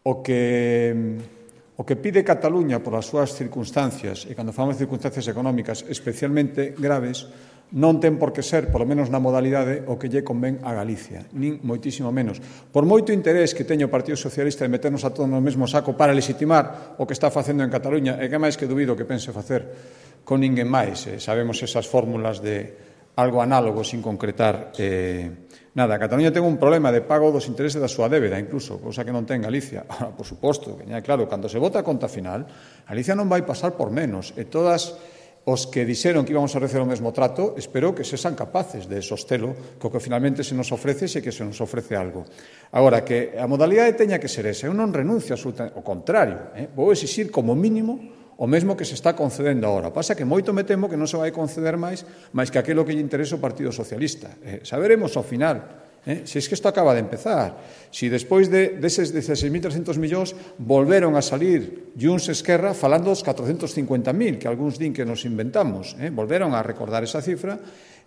o que... O que pide Cataluña por as súas circunstancias, e cando falamos de circunstancias económicas especialmente graves, non ten por que ser, polo menos na modalidade, o que lle convén a Galicia, nin moitísimo menos. Por moito interés que teño o Partido Socialista de meternos a todos no mesmo saco para legitimar o que está facendo en Cataluña, e que máis que dubido que pense facer con ninguén máis. Eh, sabemos esas fórmulas de algo análogo sin concretar eh, nada. Cataluña ten un problema de pago dos intereses da súa débeda, incluso, cousa que non ten Galicia. Ahora, por suposto, que é claro, cando se vota a conta final, Galicia non vai pasar por menos, e todas os que dixeron que íbamos a receber o mesmo trato, espero que sexan capaces de sostelo co que finalmente se nos ofrece, se que se nos ofrece algo. Agora, que a modalidade teña que ser esa, eu non renuncio absolutamente, ao contrario, eh? vou exixir como mínimo o mesmo que se está concedendo agora. Pasa que moito me temo que non se vai conceder máis máis que aquilo que lle interesa o Partido Socialista. Eh, saberemos ao final Eh? Si es que isto acaba de empezar. Si despois de, deses dieciséis mil trescentos millóns volveron a salir Junts Esquerra falando dos catrocentos cincuenta mil, que algúns din que nos inventamos, eh? volveron a recordar esa cifra,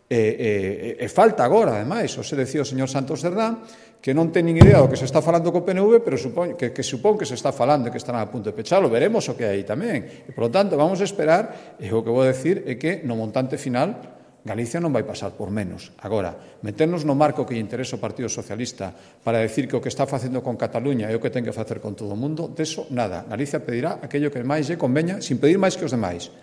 e, e, e falta agora, ademais, o se decía o señor Santos Cerdán, que non ten nin idea do que se está falando co P N V, pero supón, que, que supón que se está falando e que estarán a punto de pechalo. Veremos o que hai tamén. E, por lo tanto, vamos a esperar, e o que vou decir é que no montante final Galicia non vai pasar por menos. Agora, meternos no marco que lle interesa ao Partido Socialista para decir que o que está facendo con Cataluña é o que ten que facer con todo o mundo, deso nada. Galicia pedirá aquello que máis lle conveña, sin pedir máis que os demais.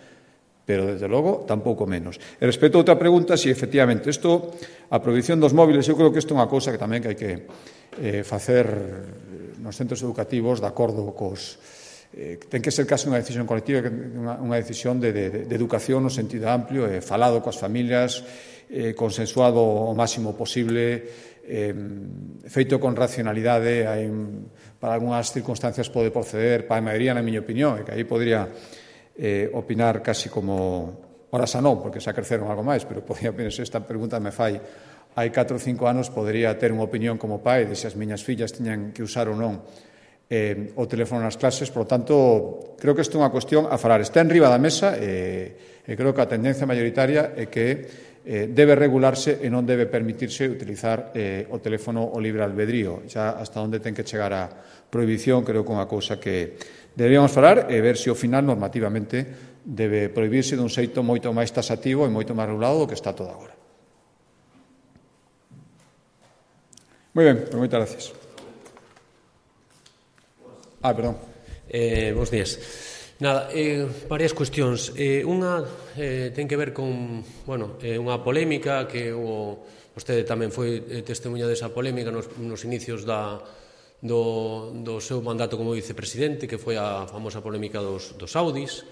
Pero, desde logo, tampouco menos. E respecto a outra pregunta, si, efectivamente, isto, a prohibición dos móviles, eu creo que isto é unha cousa que tamén que hai que eh, facer nos centros educativos de acordo cos... Eh, ten que ser casi unha decisión colectiva, unha, unha decisión de, de, de educación no sentido amplio, eh, falado coas familias, eh, consensuado o máximo posible, eh, feito con racionalidade. Hai, para algunhas circunstancias pode proceder, para a maioría, na miña opinión, e que aí podría eh, opinar casi como... Ora xa non, porque xa creceron algo máis, pero podría pensar, esta pregunta me fai hai catro ou cinco anos, podría ter unha opinión como pai de se as miñas fillas tiñan que usar ou non Eh, o teléfono nas clases. Por lo tanto, creo que isto é unha cuestión a falar. Está en riba da mesa e, e creo que a tendencia mayoritaria é que eh, debe regularse e non debe permitirse utilizar eh, o teléfono o libre albedrío. Xa hasta onde ten que chegar a prohibición, creo que é unha cousa que deberíamos falar e ver se ao final normativamente debe prohibirse dun xeito moito máis tasativo e moito máis regulado do que está todo agora. Moi ben, pues moitas gracias. Ah, perdón. Eh, bos días. Nada, eh, varias cuestións. Eh, unha eh, ten que ver con, bueno, eh, unha polémica que o, vostede tamén foi eh, testemunha desa polémica nos, nos inicios da, do, do seu mandato como vicepresidente, que foi a famosa polémica dos, dos Audis.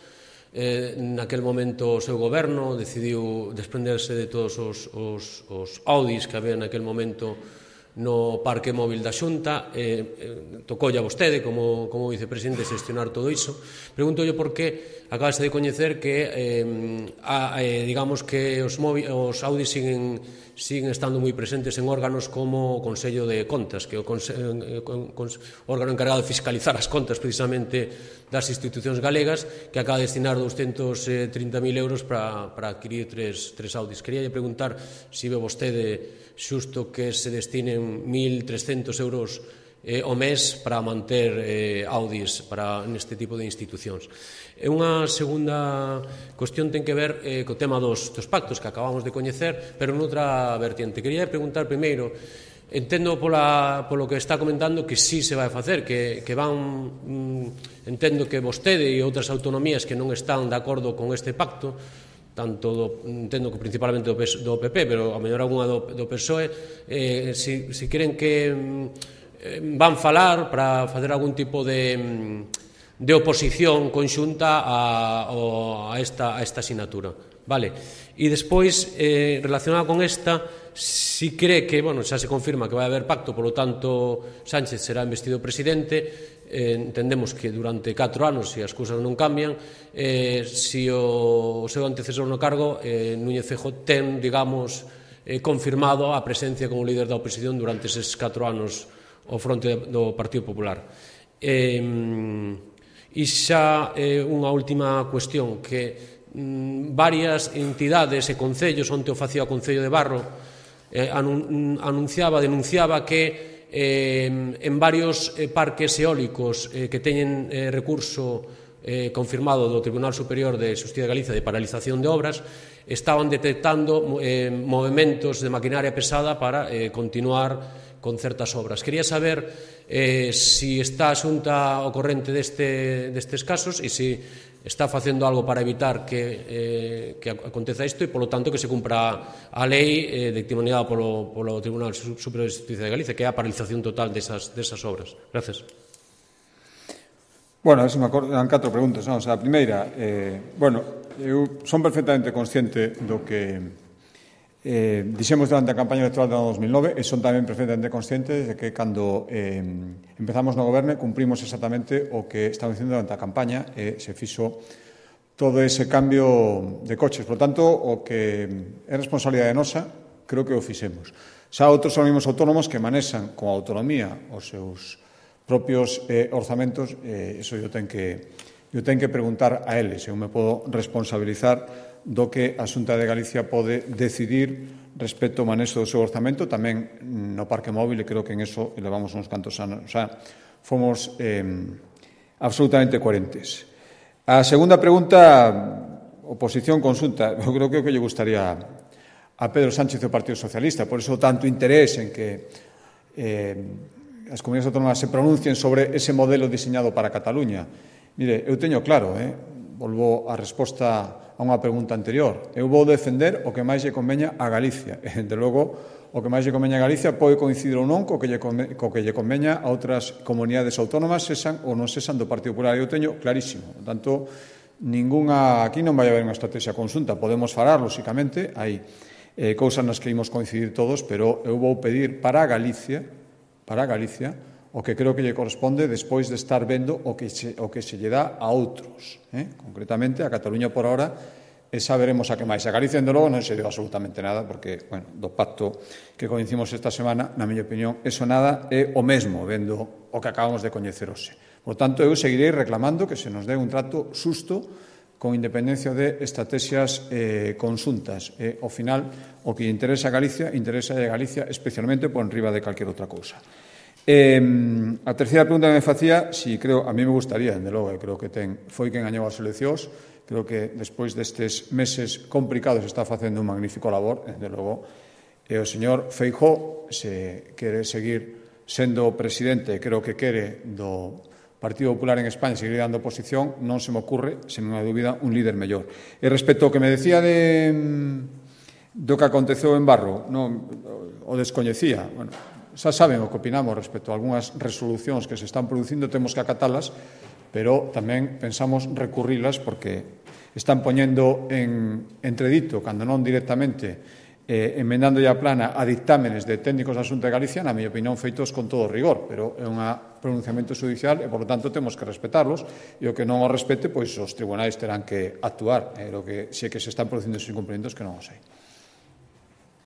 Eh, naquel momento o seu goberno decidiu desprenderse de todos os, os, os Audis que había naquel momento no parque móvil da Xunta. eh, tocoulle a vostede como, como vicepresidente xestionar todo iso. Pregúntolle por que acabase de coñecer que eh, a, eh, digamos que os, móvil, os Audis siguen, siguen estando moi presentes en órganos como o Consello de Contas, que é o conse, eh, con, con, órgano encargado de fiscalizar as contas precisamente das institucións galegas, que acaba de destinar doscientos trinta mil euros para, para adquirir tres, tres Audis. Quería preguntar se ve vostede xusto que se destinen mil trescentos euros eh, o mes para manter eh, Audis para neste tipo de institucións. E unha segunda cuestión ten que ver eh, co tema dos, dos pactos que acabamos de coñecer, pero noutra vertiente. Quería preguntar primeiro, entendo pola, polo que está comentando que sí se vai facer, que, que van, mm, entendo que vostede e outras autonomías que non están de acordo con este pacto, tanto do, entendo que principalmente do, do P P, pero a mellor algunha do, do P S O E, eh, si, si queren que eh, van falar para facer algún tipo de, de oposición conxunta a, a, esta, a esta asignatura. Vale. E despois, eh, relacionada con esta, si cree que, bueno, xa se confirma que vai haber pacto, polo tanto Sánchez será investido presidente, eh, entendemos que durante catro anos, se as cousas non cambian, eh, si o, o seu antecesor no cargo, eh, Núñez Feijóo, ten, digamos, eh, confirmado a presencia como líder da oposición durante eses catro anos ao fronte do Partido Popular. Eh, e xa eh, unha última cuestión, que mm, varias entidades e concellos, onte o facía o Concello de Barro, eh, anunciaba, denunciaba que Eh, en varios eh, parques eólicos eh, que teñen eh, recurso eh, confirmado do Tribunal Superior de Xustiza de Galicia de paralización de obras, estaban detectando eh, movementos de maquinaria pesada para eh, continuar con certas obras. Quería saber eh, si está a Xunta ao corrente deste, destes casos e se está facendo algo para evitar que, eh, que aconteza isto e, polo tanto, que se cumpra a lei eh, dictaminada polo, polo Tribunal Superior de Justicia de Galicia, que é a paralización total desas, desas obras. Gracias. Bueno, me acordan catro preguntas. Non? O sea, a primeira, eh, bueno, eu son perfectamente consciente do que eh, dixemos durante a campaña electoral do ano dos mil nove e son tamén perfectamente conscientes de que cando eh, empezamos no goberno cumprimos exactamente o que estamos dicindo durante a campaña e se fixo todo ese cambio de coches. Por lo tanto, o que é responsabilidade nosa, creo que o fixemos. Xa outros organismos autónomos que manexan con autonomía os seus propios eh, orzamentos, eh, iso eu ten que, eu ten que preguntar a eles. Eu me podo responsabilizar do que a Xunta de Galicia pode decidir respecto ao manexo do seu orzamento, tamén no parque móvil, e creo que en eso levamos uns cantos anos. O sea, fomos eh, absolutamente coherentes. A segunda pregunta, oposición, consulta. Eu creo que o que lle gustaría a Pedro Sánchez do Partido Socialista, por iso tanto interés en que eh, as comunidades autónomas se pronuncien sobre ese modelo diseñado para Cataluña. Mire, eu teño claro, eh, volvo a resposta a unha pregunta anterior. Eu vou defender o que máis lle conveña a Galicia. E, de logo, o que máis lle conveña a Galicia pode coincidir ou non co que lle, conve, co que lle conveña a outras comunidades autónomas, sesan ou non sesan do Partido Popular. Eu teño clarísimo. Por tanto, ninguna, aquí non vai haber unha estrategia conxunta. Podemos falar, lóxicamente, hai eh, cousas nas que imos coincidir todos, pero eu vou pedir para a Galicia, para a Galicia, o que creo que lle corresponde despois de estar vendo o que se, o que se lle dá a outros. Eh? Concretamente, a Cataluña por ahora, e xa veremos a que máis. A Galicia, de logo, non se deu absolutamente nada, porque, bueno, do pacto que coñecimos esta semana, na miña opinión, eso nada é o mesmo, vendo o que acabamos de coñecer hoxe. Por tanto, eu seguirei reclamando que se nos dé un trato xusto con independencia de estrategias eh, consuntas. E, ao final, o que interesa a Galicia, interesa a Galicia especialmente por enriba de calquer outra cousa. Eh, a terceira pregunta que me facía, si creo, a mí me gustaría, de logo, creo que ten, foi quen gañou as eleccións, creo que despois destes meses complicados está facendo un magnífico labor, de logo, e o señor Feijóo, se quere seguir sendo presidente, creo que quere do Partido Popular en España seguir dando oposición, non se me ocurre, sen unha dúbida, un líder mellor. E respecto ao que me decía de do que aconteceu en Barro, non, o descoñecía, bueno, xa saben o que opinamos respecto a algunhas resolucións que se están producindo, temos que acatalas, pero tamén pensamos recurrilas porque están poñendo en entredito, cando non directamente, eh, emendando a plana a dictámenes de técnicos da Xunta de Galicia, na miña opinión, feitos con todo rigor, pero é un pronunciamento judicial e, por lo tanto, temos que respetarlos, e o que non o respete, pois os tribunais terán que actuar, e o que se que se están producindo esos incumprimentos que non o sei.